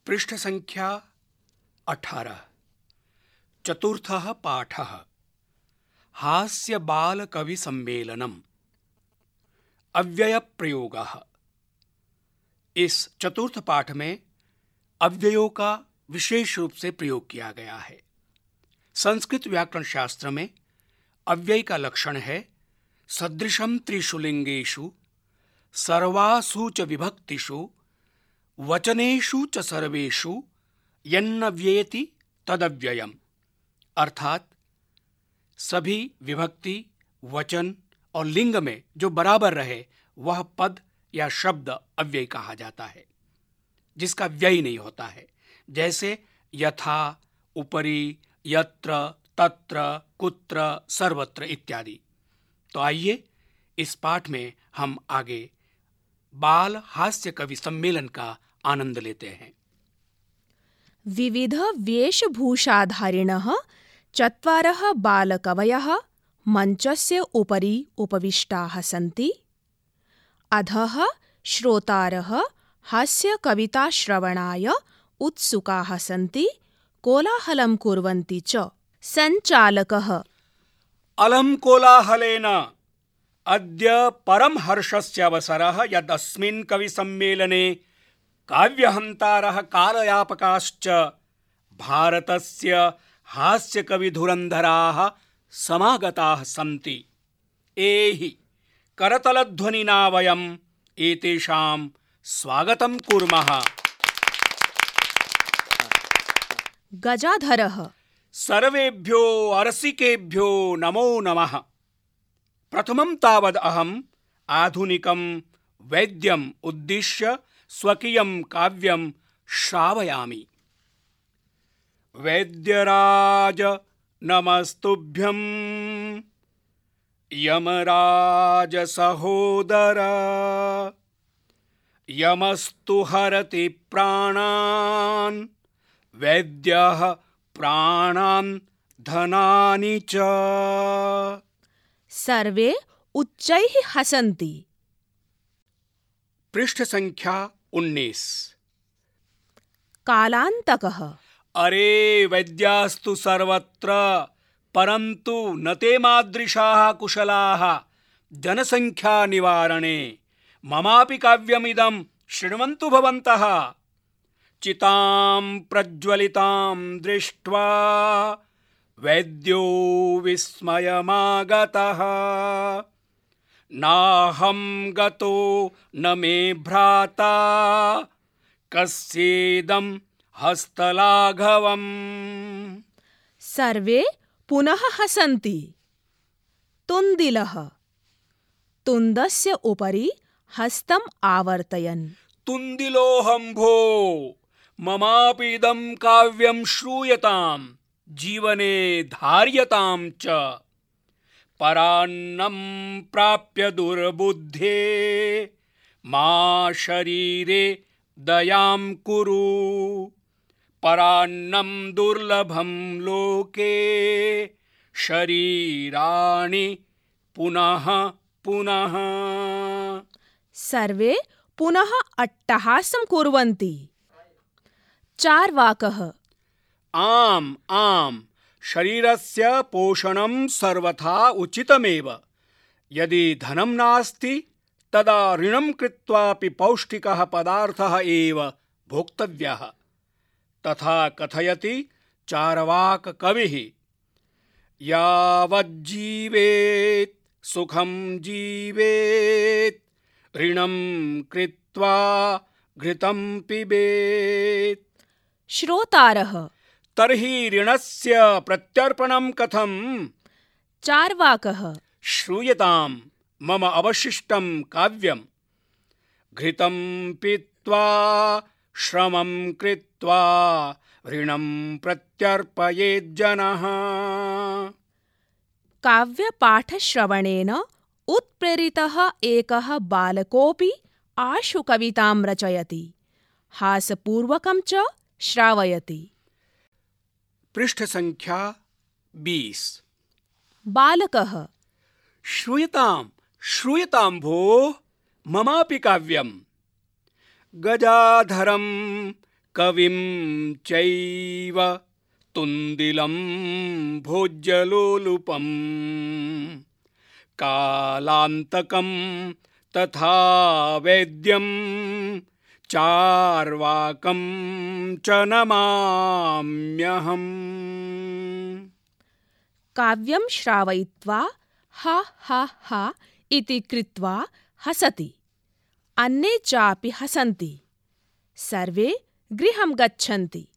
पृष्ठ संख्या 18। चतुर्थः पाठः हास्य बाल कवि सम्मेलनम। अव्यय प्रयोगः। इस चतुर्थ पाठ में अव्ययों का विशेष रूप से प्रयोग किया गया है। संस्कृत व्याकरण शास्त्र में अव्यय का लक्षण है सदृशम त्रिषु सर्वासु च विभक्तिषु वचनेषु च सर्वेषु यन्नव्येति तदव्ययम्। अर्थात सभी विभक्ति, वचन और लिंग में जो बराबर रहे वह पद या शब्द अव्यय कहा जाता है, जिसका व्यय नहीं होता है, जैसे यथा, उपरि, यत्र, तत्र, कुत्र, सर्वत्र इत्यादि। तो आइए इस पाठ में हम आगे बाल हास्य कवि सम्मेलन का आनंद लेते हैं। विविध वेशभूषाधारिणः चत्वारः बालकवयः मञ्चस्य उपरि उपविष्टाः सन्ति। अधः श्रोतारः हास्यकविताश्रवणाय उत्सुकाः सन्ति, कोलाहलं कुर्वन्ति च। सञ्चालकः अलं कोलाहलेन अद्य परम हर्षस्य अवसरः यदस्मिन् कविसम्मेलने काव्यहन्तारः कालयापकाश्च भारतस्य हास्यकविधुरन्धराः समागताः सन्ति। एहि करतलध्वनिना वयम् एतेषां स्वागतं कुर्मः। गजाधरः सर्वेभ्यो अरसिकेभ्यो नमो नमः। प्रथमं तावद् अहम् आधुनिकं वैद्यम् उद्दिश्य स्वकीयं काव्यं श्रावयामि। वैद्यराज नमस्तुभ्यं यमराज सहोदर यमस्तु हरति प्राणान् वैद्यः प्राणान् धनानि च। सर्वे उच्चैः हसन्ति। पृष्ठ संख्या 19। कालान्तकः अरे वैद्यास्तु सर्वत्र परन्तु न ते मादृशाः कुशलाः जनसंख्या निवारणे। ममापि काव्यमिदं शृण्वन्तु भवन्तः। चितां प्रज्वलितां दृष्ट्वा वैद्यो विस्मयमागतः। नाहं गतो न मे भ्राता कस्येदं हस्तलाघवम्। सर्वे पुनः हसन्ति। तुन्दिलः तुन्दस्य उपरि हस्तम् आवर्तयन्। तुन्दिलोऽहं भो, ममापि इदं काव्यं श्रूयताम्, जीवने धार्यतां च। परान्नं प्राप्य दुर्बुद्धे मा शरीरे दयां कुरु। परान्नं दुर्लभं लोके शरीराणि पुनः पुनः। सर्वे पुनः अट्टहासं कुर्वन्ति। चार्वाकः आम् आम्, शरीरस्य पोषणं सर्वथा उचितमेव। यदि धनं नास्ति तदा ऋणं कृत्वापि पौष्टिकः पदार्थः एव भोक्तव्यः। तथा कथयति चार्वाक कविः। यावज्जीवेत् सुखं जीवेत् ऋणं कृत्वा घृतं पिबेत्। श्रोतारः तर्हि ऋणस्य प्रत्यर्पणं कथं? चार्वाकः श्रूयतां मम अवशिष्टं काव्यम्। घृतं पीत्वा श्रमं कृत्वा ऋणं प्रत्यर्पयेज्जनः। काव्यपाठश्रवणेन उत्प्रेरितः एकः बालकोऽपि आशु कवितां रचयति, हासपूर्वकं च श्रावयति। पृष्ठ संख्या 20। बालकः श्रूयतां श्रूयतां भो, ममापि काव्यम्। गजाधरं कविं चैव तुन्दिलं भोज्यलोलुपं कालान्तकं तथा वेद्यं चार्वाकं च नमाम्यहम्। काव्यं श्रावयित्वा हा हा हा इति कृत्वा हसति। अन्ये चापि हसन्ति। सर्वे गृहं गच्छन्ति।